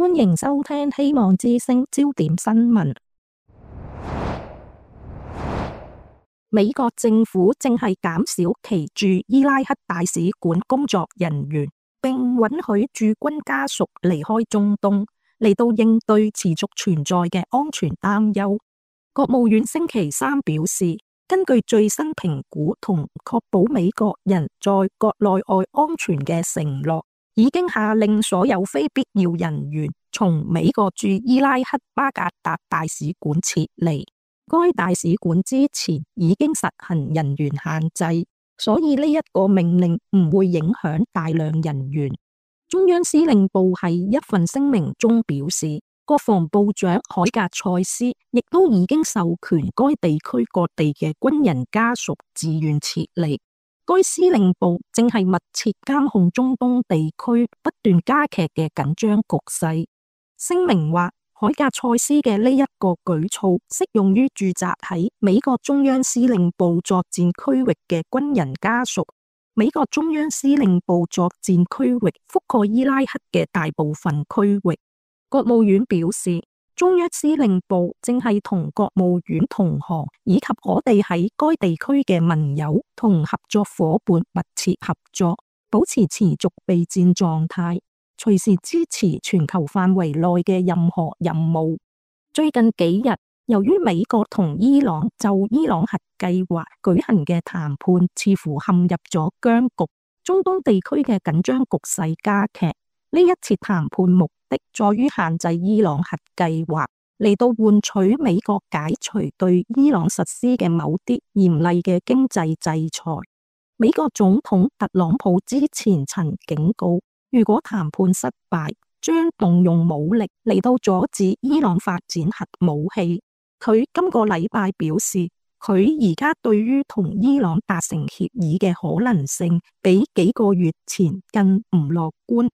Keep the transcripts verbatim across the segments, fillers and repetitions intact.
歡迎收聽希望之聲焦點新聞。美國政府正係減少其駐伊拉克大使館工作人員，並允許駐軍家屬離開中東，嚟到應對持續存在嘅安全擔憂。國務院星期三表示，根據最新評估同確保美國人在國內外安全嘅承諾，已經下令所有非必要人員從美國駐伊拉克巴格達大使館撤離。該大使館之前已經實行人員限制，所以呢一個命令唔會影響大量人員。中央司令部喺一份聲明中表示，國防部長海格塞斯亦都已經授權該地區各地嘅軍人家屬自願撤離。該司令部正係密切監控中東地區不斷加劇嘅緊張局勢。聲明話，海格塞斯嘅呢一個舉措適用於駐紮喺美國中央司令部作戰區域嘅軍人家屬。美國中央司令部作戰區域覆蓋伊拉克嘅大部分區域。國務院表示，中央司令部正係同國務院同行以及我哋喺該地區嘅盟友同合作夥伴密切合作，保持持續備戰狀態，隨時支持全球範圍內嘅任何任務。最近幾日，由於美國同伊朗就伊朗核計劃舉行嘅談判似乎陷入咗僵局，中東地區嘅緊張局勢加劇。呢一次談判目的在於限制伊朗核計劃，嚟到換取美國解除對伊朗實施嘅某啲嚴厲嘅經濟制裁。美國總統特朗普之前曾警告，如果談判失敗，將動用武力嚟到阻止伊朗發展核武器。佢今個禮拜表示，佢而家對於同伊朗達成協議嘅可能性，比幾個月前更唔樂觀。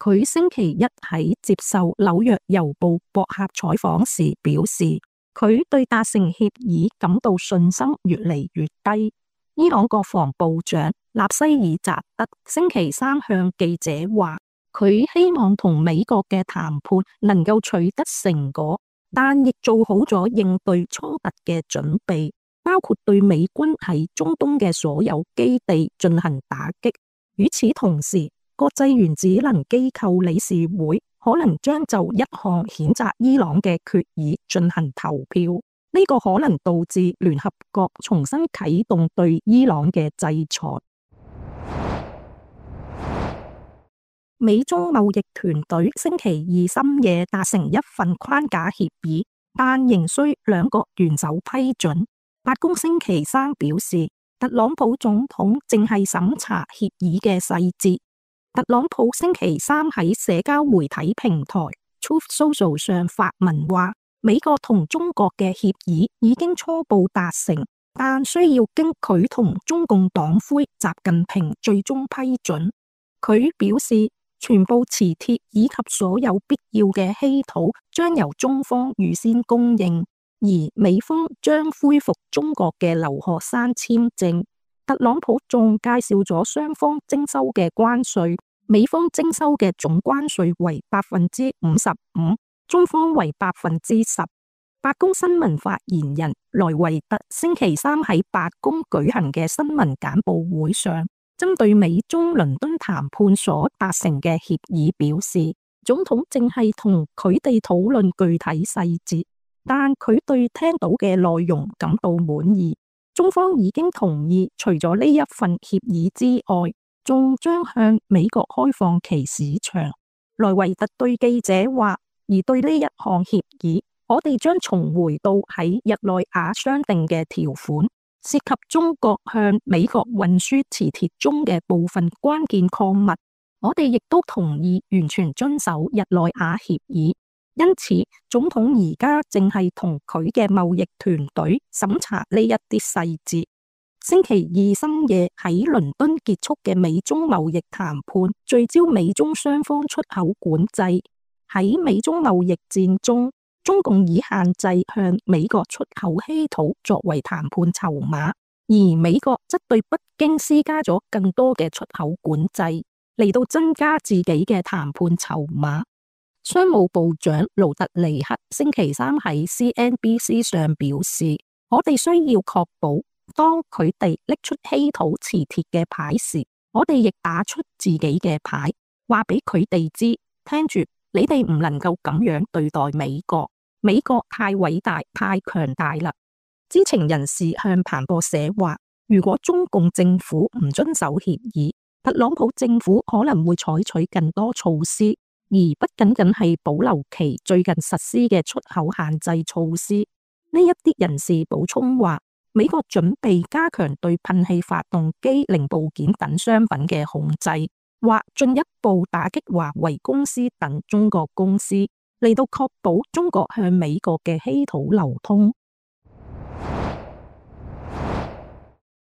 佢星期一喺接受紐約郵報博客採訪時表示，佢對達成協議感到信心越嚟越低。伊朗國防部長納西爾扎德星期三向記者話，佢希望同美國嘅談判能夠取得成果，但亦做好咗應對衝突嘅準備，包括對美軍喺中東嘅所有基地進行打擊。與此同時，國際原子能機構理事會可能將就一項譴責伊朗嘅決議進行投票，呢、這個可能導致聯合國重新啟動對伊朗嘅制裁。美中貿易團隊星期二深夜達成一份框架協議，但仍需兩國元首批准。白宮星期三表示，特朗普總統正係審查協議嘅細節。特朗普星期三喺社交媒體平台 Truth Social 上發文話，美國同中國嘅協議已經初步達成，但需要經佢同中共黨魁習近平最終批准。佢表示，全部磁鐵以及所有必要嘅稀土將由中方預先供應，而美方將恢復中國嘅留學生簽證。特朗普仲介紹咗雙方徵收嘅關稅，美方徵收嘅總關稅為百分之五十五，中方為百分之十。白宮新聞發言人萊維特星期三喺白宮舉行嘅新聞簡報會上，針對美中倫敦談判所達成嘅協議表示，總統正係同佢哋討論具體細節，但佢對聽到嘅內容感到滿意。中方已經同意，除咗呢一份協議之外，仲將向美國開放其市場。萊維特對記者話，而對呢一項協議，我哋將重回到喺日內瓦商定嘅條款，涉及中國向美國運輸磁鐵中嘅部分關鍵礦物。我哋亦都同意完全遵守日內瓦協議。因此，總統而家正係同佢嘅貿易團隊審查呢一啲細節。星期二深夜喺倫敦結束嘅美中貿易談判，聚焦美中雙方出口管制。喺美中貿易戰中，中共以限制向美國出口稀土作為談判籌碼，而美國則對北京施加咗更多嘅出口管制，嚟到增加自己嘅談判籌碼。商務部長盧特尼克星期三喺 C N B C 上表示，我哋需要確保當佢哋拎出稀土磁鐵嘅牌時，我哋亦打出自己嘅牌，話俾佢哋知，聽住，你哋唔能夠咁樣對待美國，美國太偉大、太強大啦。知情人士向彭博社話，如果中共政府唔遵守協議，特朗普政府可能會採取更多措施，而不僅僅係保留其最近實施嘅出口限制措施。呢一啲人士補充話，美國準備加強對噴氣發動機零部件等商品嘅控制，或進一步打擊華為公司等中國公司，嚟到確保中國向美國嘅稀土流通。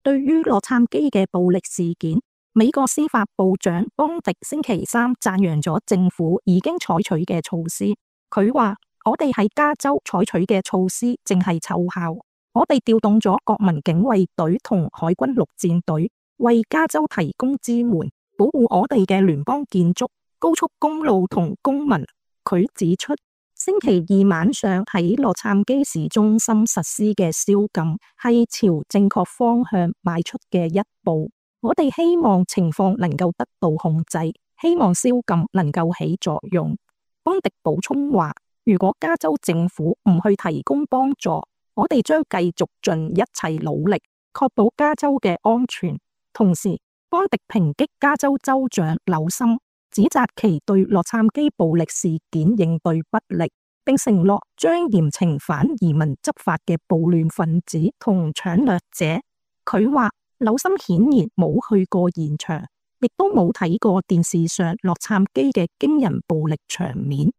對於洛杉磯嘅暴力事件，美國司法部長邦迪星期三讚揚咗政府已經採取嘅措施。佢話：我哋喺加州採取嘅措施正係奏效，我哋調動咗國民警衛隊同海軍陸戰隊，為加州提供支援，保護我哋嘅聯邦建築、高速公路同公民。佢指出，星期二晚上喺洛杉磯市中心實施嘅宵禁係朝正確方向邁出嘅一步。我哋希望情況能夠得到控制，希望宵禁能夠起作用。邦迪補充話，如果加州政府唔去提供幫助，我哋將繼續盡一切努力確保加州嘅安全。同時，邦迪抨擊加州州長紐森，指責其對洛杉磯暴力事件應對不力，並承諾將嚴懲反移民執法嘅暴亂分子同搶掠者。佢話紐森顯然冇去過現場，亦都冇睇過電視上洛杉磯嘅驚人暴力場面。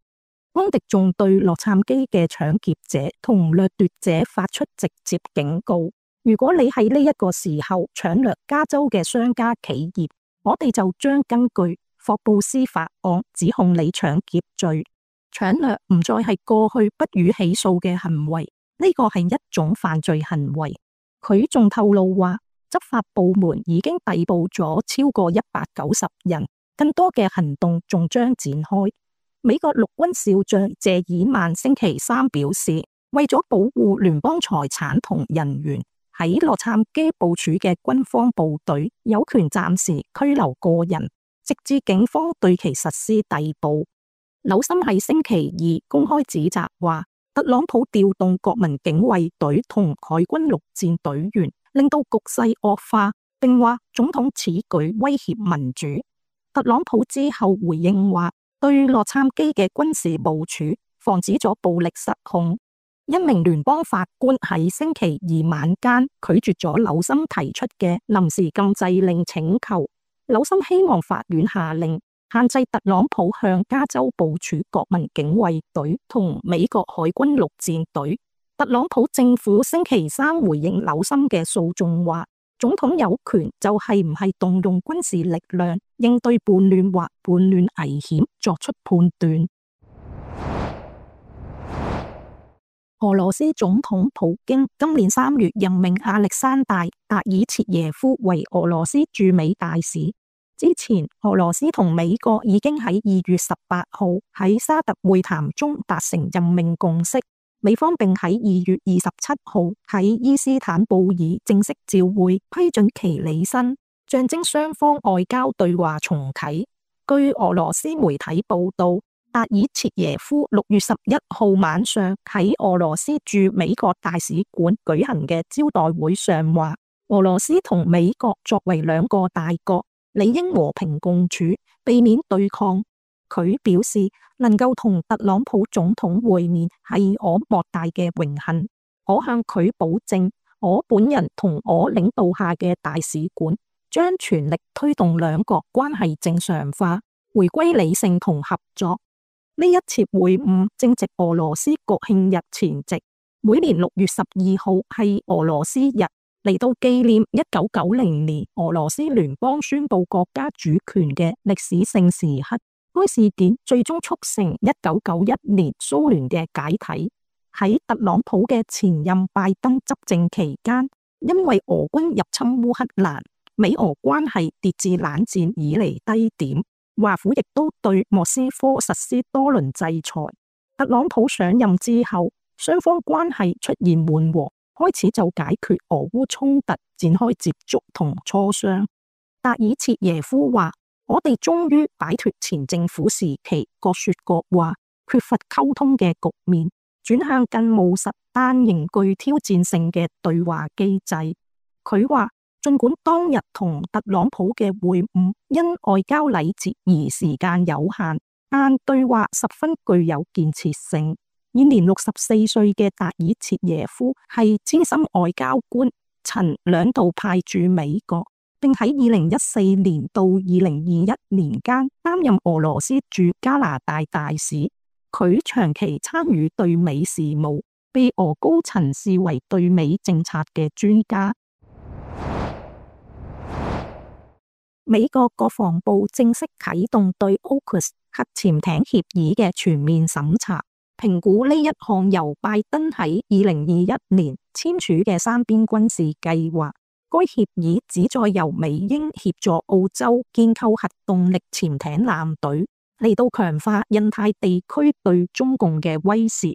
邦迪仲對洛杉磯嘅搶劫者同掠奪者發出直接警告：如果你喺呢一個時候搶掠加州嘅商家企業，我哋就將根據霍布斯法案指控你搶劫罪。搶掠唔再係過去不予起訴嘅行為，呢個係一種犯罪行為。佢仲透露話，執法部門已經逮捕咗超過一百九十人，更多嘅行動仲將展開。美國陸軍少將謝爾曼星期三表示，為咗保護聯邦財產同人員，喺洛杉磯部署嘅軍方部隊有權暫時拘留個人，直至警方對其實施逮捕。紐森喺星期二公開指責話，特朗普調動國民警衛隊同海軍陸戰隊員，令到局勢惡化，並話總統此舉威脅民主。特朗普之後回應話，對洛杉磯嘅軍事部署防止咗暴力失控。一名聯邦法官喺星期二晚間拒絕咗紐森提出嘅臨時禁制令請求。紐森希望法院下令限制特朗普向加州部署國民警衛隊同美國海軍陸戰隊。特朗普政府星期三回應紐森嘅訴訟話，總統有權就係唔係動用軍事力量應對叛亂或叛亂危險作出判斷。俄羅斯總統普京今年三月任命亞歷山大·達爾切耶夫為俄羅斯駐美大使。之前，俄羅斯同美國已經喺二月十八號喺沙特會談中達成任命共識，美方並喺二月二十七號喺伊斯坦布爾正式照會批准其履新，象徵雙方外交對話重啟。據俄羅斯媒體報道，達爾切耶夫六月十一號晚上喺俄羅斯駐美國大使館舉行嘅招待會上話，俄羅斯同美國作為兩個大國，理應和平共處，避免對抗。佢表示，能夠同特朗普總統會面係我莫大嘅榮幸。我向佢保證，我本人同我領導下嘅大使館將全力推動兩國關係正常化，回歸理性同合作。呢一次會晤正值俄羅斯國慶日前夕，每年六月十二號係俄羅斯日，嚟到紀念一九九零年俄羅斯聯邦宣布國家主權嘅歷史性時刻。該事件最終促成一九九一年蘇聯嘅解體。喺特朗普嘅前任拜登執政期間，因為俄軍入侵烏克蘭，美俄關係跌至冷戰以嚟低點。華府亦都對莫斯科實施多輪制裁。特朗普上任之後，雙方關係出現緩和，開始就解決俄烏衝突展開接觸同磋商。達爾切耶夫話：我哋終於擺脫前政府時期各說各話、缺乏溝通嘅局面，轉向更務實但仍具挑戰性嘅對話機制。佢話，儘管當日同特朗普嘅會晤因外交禮節而時間有限，但對話十分具有建設性。現年六十四歲嘅達爾切耶夫係資深外交官，曾兩度派駐美國，並喺二零一四年到二零二一年間擔任俄羅斯駐加拿大大使。佢長期參與對美事務，被俄高層視為對美政策嘅專家。美國國防部正式啟動對 AUKUS 核潛艇協議嘅全面審查，評估呢一項由拜登喺二零二一年簽署嘅三邊軍事計劃。該協議旨在由美英協助澳洲建構核動力潛艇艦隊，嚟到強化印太地區對中共嘅威懾。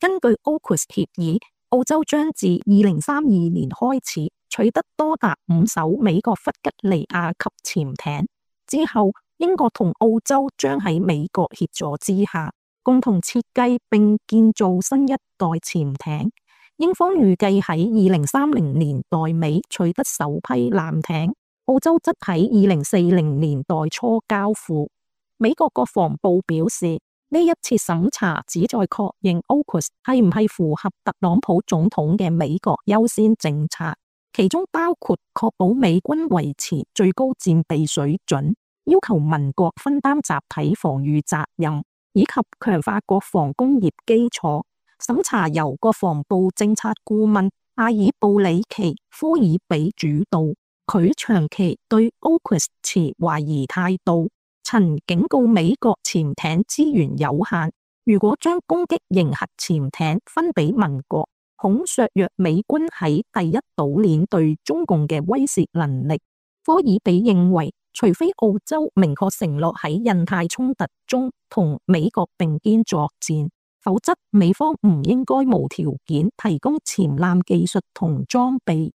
根據 AUKUS 協議，澳洲將自二零三二年開始取得多達五艘美國弗吉尼亞級潛艇，之後英國同澳洲將喺美國協助之下，共同設計並建造新一代潛艇。英方預計喺二零三零年代尾取得首批艦艇，澳洲則喺二零四零年代初交付。美國國防部表示，呢一次審查旨在確認 AUKUS 係唔係符合特朗普總統嘅美國優先政策，其中包括確保美軍維持最高戰備水準，要求盟國分擔集體防禦責任，以及強化國防工業基礎。審查由國防部政策顧問阿爾布里奇科爾比主導，佢長期對 AUKUS 持懷疑態度。曾警告美國潛艇資源有限，如果將攻擊型核潛艇分俾盟國，恐削弱美軍喺第一島鏈對中共嘅威懾能力。科爾比認為，除非澳洲明確承諾喺印太衝突中同美國並肩作戰，否則美方唔應該無條件提供潛艦技術同裝備。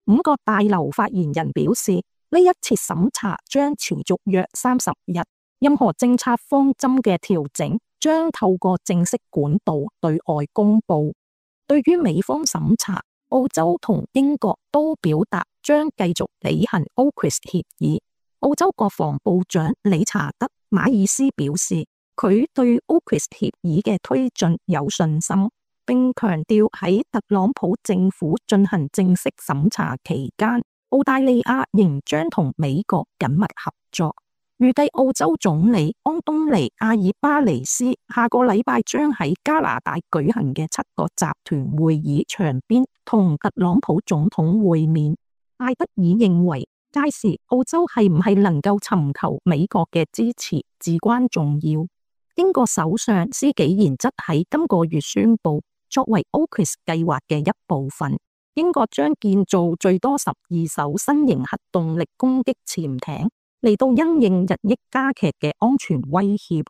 五角大樓發言人表示，呢一次審查將持續約三十日，任何政策方針嘅調整將透過正式管道對外公布。對於美方審查，澳洲同英國都表達將繼續履行 AUKUS 協議。澳洲國防部長理查德馬爾斯表示，佢對 AUKUS 協議嘅推進有信心，並強調喺特朗普政府進行正式審查期間，澳大利亞仍將同美國緊密合作。預計澳洲總理安東尼阿爾巴尼斯下個禮拜將喺加拿大舉行嘅七國集團會議場邊同特朗普總統會面。艾德爾認為，屆時澳洲係唔係能夠尋求美國嘅支持至關重要。英國首相施紀賢則喺今個月宣布，作為 AUKUS 計劃嘅一部分，英國將建造最多十二艘新型核動力攻擊潛艇，嚟到因應日益加劇嘅安全威脅。